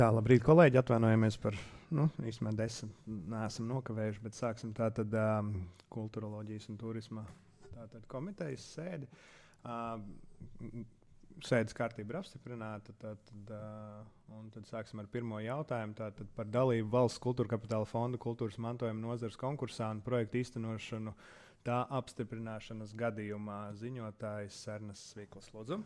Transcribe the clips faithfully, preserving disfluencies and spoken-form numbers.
Tā, labrīt, kolēģi, atvainojamies par, nu, īstenībā desmit neesam nokavējuši, bet sāksim tātad um, kulturoloģijas un turisma tātad komitejas sēdi. Uh, sēdes kārtība ir apstiprināta, tātad, uh, un tad sāksim ar pirmo jautājumu, tātad par dalību Valsts kultūra kapitāla fonda kultūras mantojuma nozares konkursā un projektu īstenošanu tā apstiprināšanas gadījumā. Ziņotājs Ernests Svikls, lūdzu.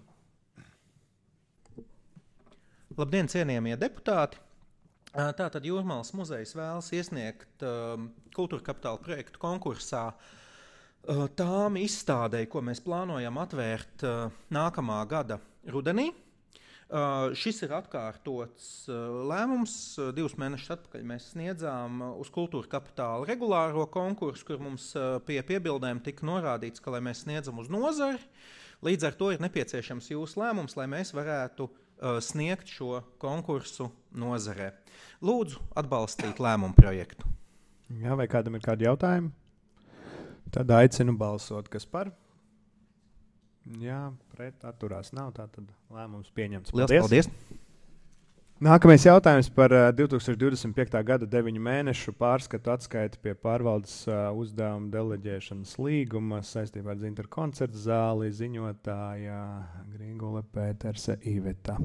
Labdien, cienījamie deputāti! Tātad Jūrmalas muzejs vēlas iesniegt um, kultūra kapitāla projektu konkursā uh, tām izstādei, ko mēs plānojam atvērt uh, nākamā gada rudenī. Uh, šis ir atkārtots uh, lēmums. Uh, divus mēnešus atpakaļ mēs sniedzām uh, uz kultūra kapitāla regulāro konkursu, kur mums uh, pie piebildēm tika norādīts, ka, lai mēs sniedzam uz nozari, līdz ar to ir nepieciešams jūsu lēmums, lai mēs varētu uh, sniegt šo konkursu nozarē. Lūdzu atbalstīt lēmumu projektu. Jā, vai kādam ir kādi jautājumi? Tad aicinu balsot, kas par? Jā, pret atturās nav, tātad lēmums pieņemts. Liels paldies! Nākamais jautājums par uh, divi tūkstoši divdesmit piekta gada deviņu mēnešu pārskatu atskaiti pie pārvaldes uh, uzdevuma deleģēšanas līguma saistībā ar Zintaru koncertu zāli, ziņotāja Grīgule Pēterse Iveta.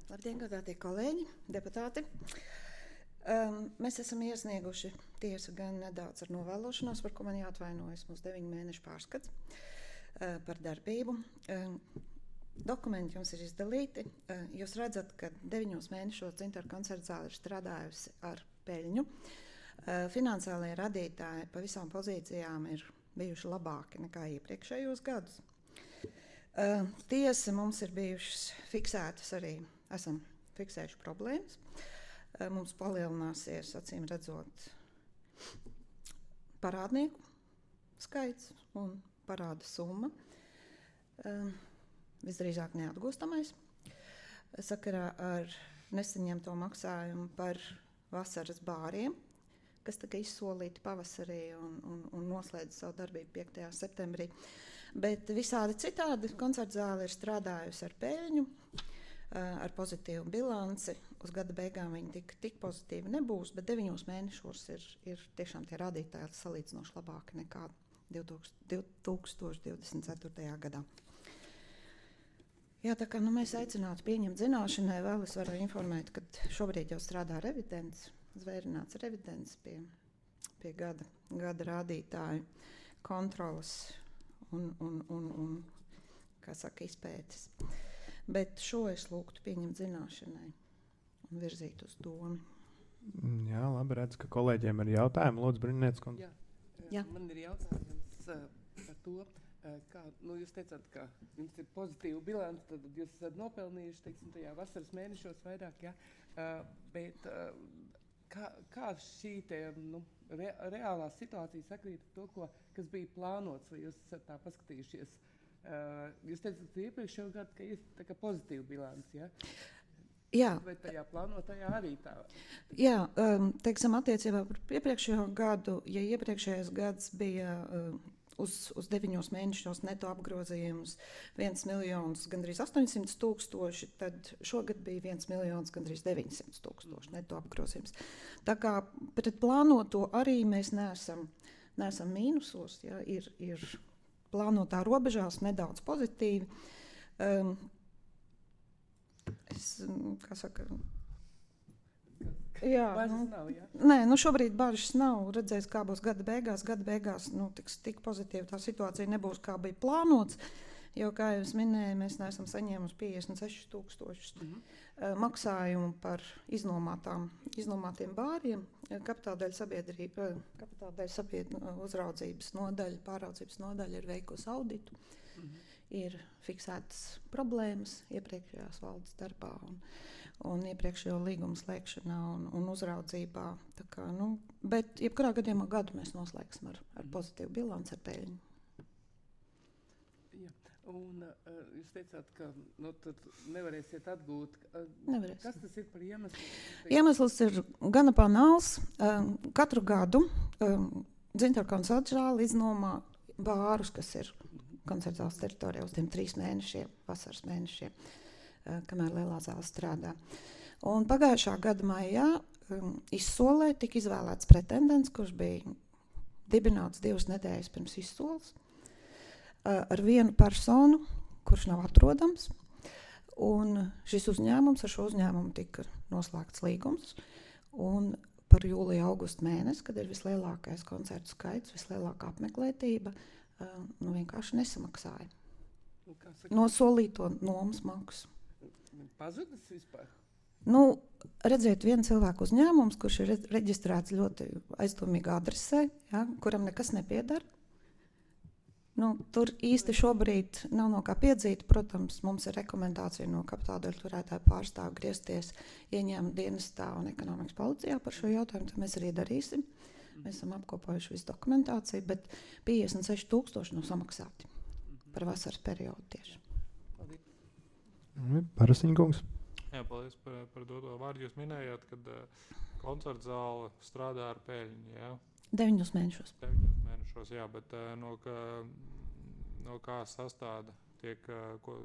Labdien, godātie kolēģi, deputāti. Um, mēs esam iesnieguši tiesa gan nedaudz ar novēlošanos, par ko man jāatvainojas mūsu deviņu mēnešu pārskats uh, par darbību. Um, Dokumenti jums ir izdalīti. Uh, jūs redzat, ka deviņos mēnešos Zintaru koncertu zāle ir strādājusi ar peļņu. Uh, finansiālie radītāji pa visām pozīcijām ir bijuši labāki nekā iepriekšējos gadus. Uh, tiesa mums ir bijušas fiksētas arī, esam fiksējuši problēmas. Uh, mums palielināsies, acīm redzot, parādnieku skaits un parāda summa. Uh, visdrīzāk neatgūstamais. Sakarā ar nesaņemto maksājumu par vasaras bāriem, kas tika izsolīti pavasarī un, un, un noslēdza savu darbību piektajā septembrī. Bet visādi citādi koncertu zāle ir strādājusi ar peļņu, ar pozitīvu bilanci. Uz gada beigām viņi tik, tik pozitīvi nebūs, bet deviņos mēnešos ir, ir tiešām tie rādītāji salīdzinoši labāki nekā divi tūkstoši divdesmit ceturtajā gadā. Jā, tā kā nu, mēs aicinātu pieņemt zināšanai, vēl es varu informēt, ka šobrīd jau strādā revidents, zvērināts revidents pie, pie gada, gada rādītāju kontrolas un, un, un, un kā saka, izpētes. Bet šo es lūgtu pieņemt zināšanai un virzīt uz domu. Jā, labi, redz, ka kolēģiem ir jautājumi. Lūdzu, Brininietes kundze. Jā, Jā. Man ir jautājums uh, par to, kā, nu, jūs teicāt, ka jums ir pozitīva bilance, tad jūs esat nopelnījuši, teiksim, tajā vasaras mēnešos vairāk, ja? uh, bet uh, kā, kā šī te, nu, re, reālā situācija sakrīt ar to, ko, kas bija plānots, vai jūs esat tā paskatījušies? Uh, jūs teicat, ka iepriekšējo gadu, ka ir tā kā pozitīva bilance, ja? Jā. Vai tajā plānotajā arī tā? Jā, um, teiksim, attiecībā par iepriekšējo gadu, ja iepriekšējais gads bija um, Uz, uz deviņos mēnešos neto apgrozījums viens miljons gandrīz astoņsimt tūkstoši, tad šogad bija viens miljons gandrīz deviņsimt tūkstoši neto apgrozījums. Tā kā pret plānoto arī mēs neesam, neesam mīnusos, ja, ir, ir plānotā robežās nedaudz pozitīvi. Um, es, kā saka... Jā, Bažas nu, nav, jā? Nē, nu šobrīd bažas nav. Redzēs, kā būs gada beigās. Gada beigās nu, tiks, tik pozitīva tā situācija nebūs, kā bija plānots. Jo, kā jau es minēju, mēs neesam saņēmuši piecdesmit sešus tūkstošus mm-hmm. uh, maksājumu par iznomātām, iznomātiem bāriem. Kapitāldaļa sabiedrība, kapitāldaļa sabiedrība uzraudzības nodaļa, pāraudzības nodaļa ir veikusi auditu. Mm-hmm. Ir fiksētas problēmas iepriekšējās valdes darbā un, un iepriekšējo līgumu slēgšanā un, un uzraudzībā. Tā kā, nu, bet jebkurā gadījumā gadu mēs noslēgsim ar, ar pozitīvu bilanci, ar peļņu. Jā. Un uh, jūs teicāt, ka nu, tad nevarēsiet atgūt. Uh, Nevarēsim. Kas tas ir par iemeslu? Iemesls ir gana banāls. Um, katru gadu um, Zintaru koncertu zāle iznomā bārus, kas ir koncertu zāles teritorijā uz tiem trīs mēnešiem, vasaras mēnešiem. kamēr lielā zāle strādā. Un pagājušā gada maijā um, izsolē tika izvēlēts pretendents, kurš bija dibināts divas nedēļas pirms izsoles, uh, ar vienu personu, kurš nav atrodams. Un šis uzņēmums, ar šo uzņēmumu tika noslēgts līgums. Un par jūliju augustu mēnesi, kad ir vislielākais koncertu skaits, vislielākā apmeklētība, uh, nu vienkārši nesamaksāja. No solīto nomas maksu. Pazudis vispār? Nu, redziet, viena cilvēka uzņēmums, kurš ir reģistrēts ļoti aizdomīgā adresē, ja, kuram nekas nepiedara. Nu, tur īsti šobrīd nav no kā piedzīt. Protams, mums ir rekomendācija no kapitāldaļu turētāju pārstāvu griezties ieņēmuma dienestā un ekonomikas policijā par šo jautājumu, tad mēs arī darīsim. Mēs esam apkopojuši visu dokumentāciju, bet piecdesmit seši tūkstoši nav samaksāti par vasaras periodu tieši. Parasiņkungs. Jā, paldies par, par doto vārdu. Jūs minējāt, ka uh, koncerta zāle strādā ar peļņu, jā? Deviņos mēnešos. Deviņos mēnešos, jā, bet uh, no, ka, no kā sastāda tiek, uh, ko,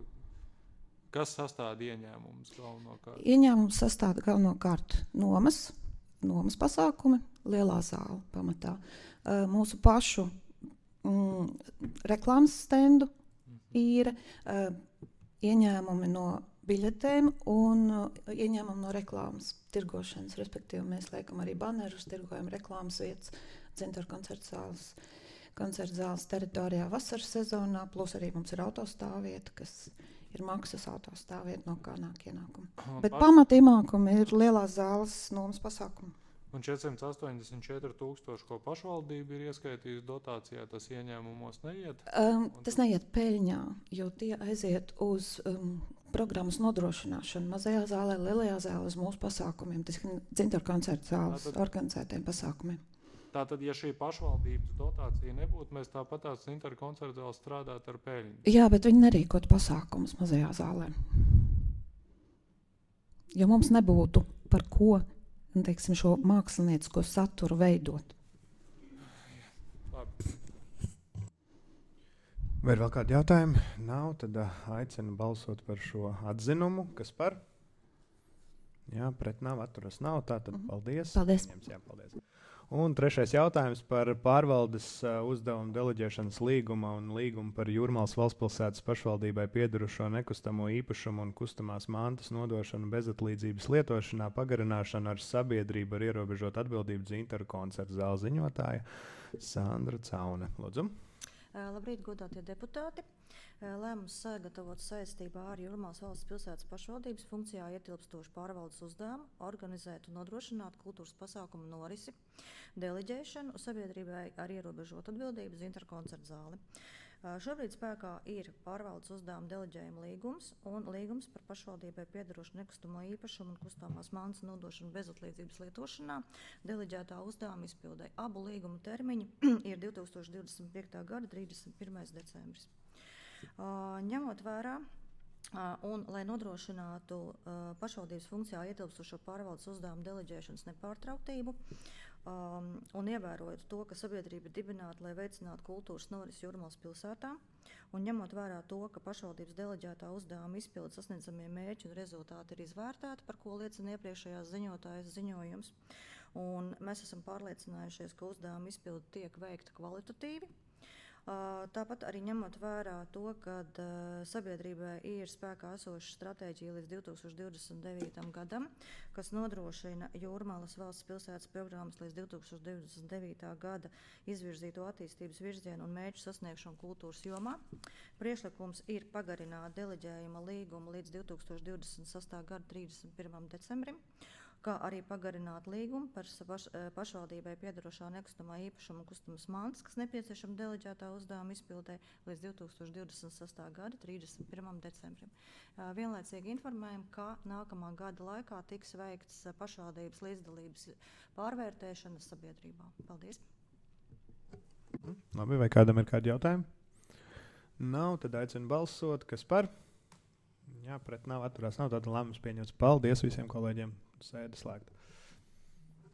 kas sastāda ieņēmumus galvenokārt? Ieņēmums sastāda galvenokārt nomas, nomas pasākumi, lielā zāle pamatā. Uh, mūsu pašu mm, reklāmas stendu īre, uh, ieņēmumi no biļetēm un uh, ieņēmumi no reklāmas tirgošanas. Respektīvi, mēs liekam arī banerus, tirgojam reklāmas vietas, Dzintaru koncertu zāles, koncertu zāles teritorijā vasaras sezonā, plus arī mums ir autostāvvieta, kas ir maksas autostāvvieta, no kā nāk ienākumi. Bet pamat ienākumi ir lielās zāles nomas pasākumi. Un četrsimt astoņdesmit četri tūkstoši, ko pašvaldība ir ieskaitījusi dotācijā, tas ieņēmumos neiet? Um, tas neiet peļņā, jo tie aiziet uz um, programmas nodrošināšanu mazajā zālē, lielajā zālē, uz mūsu pasākumiem, tas ir Dzintaru koncertu zāles Tātad, organizētiem pasākumiem. Tātad, ja šī pašvaldības dotācija nebūtu, mēs tāpat tās Dzintaru koncertu zāles strādāt ar peļņu? Jā, bet viņi nerīkot pasākumus mazajā zālē. Jo mums nebūtu par ko, teiksim, šo māksliniecisko saturu veidot. Labi. Vai ir vēl kādi jautājumi? Nav, tad uh, aicinu balsot par šo atzinumu. Kas par? Jā, pret nav, atturas nav. Tātad mm-hmm. paldies. Paldies. Ņems, jā, paldies. Un trešais jautājums par pārvaldes uh, uzdevumu deleģēšanas līguma un līgumu par Jūrmalas valstspilsētas pašvaldībai piederušo nekustamo īpašumu un kustamās mantas nodošanu bezatlīdzības lietošanā pagarināšanu ar sabiedrību ar ierobežot atbildību Dzintaru koncertu zāles ziņotāja Sandra Caune. Lūdzu. Labrīt, godātie deputāti. Lēmums sagatavot saistībā ar Jūrmalas valsts pilsētas pašvaldības funkcijā ietilpstošu pārvaldes uzdevumu organizēt un nodrošināt kultūras pasākumu norisi, deleģēšanu sabiedrībai ar ierobežotu atbildību Dzintaru koncertu zāli. Šobrīd spēkā ir pārvaldes uzdevuma deleģējuma līgums un līgums par pašvaldībai piederošu nekustamo īpašumu un kustamās mantas nodošanu bezatlīdzības lietošanā deleģētā uzdevuma izpildē. Abu līguma termiņi ir divi tūkstoši divdesmit piekta gada trīsdesmit pirmais decembris. Uh, ņemot vērā uh, un, lai nodrošinātu uh, pašvaldības funkcijā ietilpstošo pārvaldes uzdevumu deleģēšanas nepārtrauktību, um, un ievērojot to, ka sabiedrība ir dibināta, lai veicinātu kultūras norisi Jūrmalas pilsētā, un ņemot vērā to, ka pašvaldības deleģētā uzdevuma izpildes sasniedzamie mērķi un rezultāti ir izvērtēti, par ko liecina iepriekšējās ziņotājas ziņojums, un mēs esam pārliecinājušies, ka uzdevuma izpilde tiek veikta kvalitatīvi. Tāpat arī ņemot vērā to, ka sabiedrībai ir spēkā esoša stratēģija līdz divi tūkstoši divdesmit devītam gadam, kas nodrošina Jūrmalas valsts pilsētas programmas līdz divi tūkstoši divdesmit devītā gada izvirzīto attīstības virzienu un mērķu sasniegšanu kultūras jomā. Priekšlikums ir pagarināt deleģējuma līgumu līdz divi tūkstoši divdesmit sestā gada trīsdesmit pirmajam decembrim, kā arī pagarināt līgumu par paš, pašvaldībai piederošā nekustamā īpašuma un kustamas mantas, kas nepieciešama deleģētā uzdevuma izpildē līdz divi tūkstoši divdesmit sestā gada trīsdesmit pirmajam decembrim. Vienlaicīgi informējam, ka nākamā gada laikā tiks veikts pašvaldības līdzdalības pārvērtēšana sabiedrībā. Paldies! Labi, vai kādam ir kādi jautājumi? Nav, tad aicinu balsot. Kas par? Jā, pret nav, atturās nav, tāda lēmums pieņemts. Paldies visiem kolēģiem. Sēde slēgta.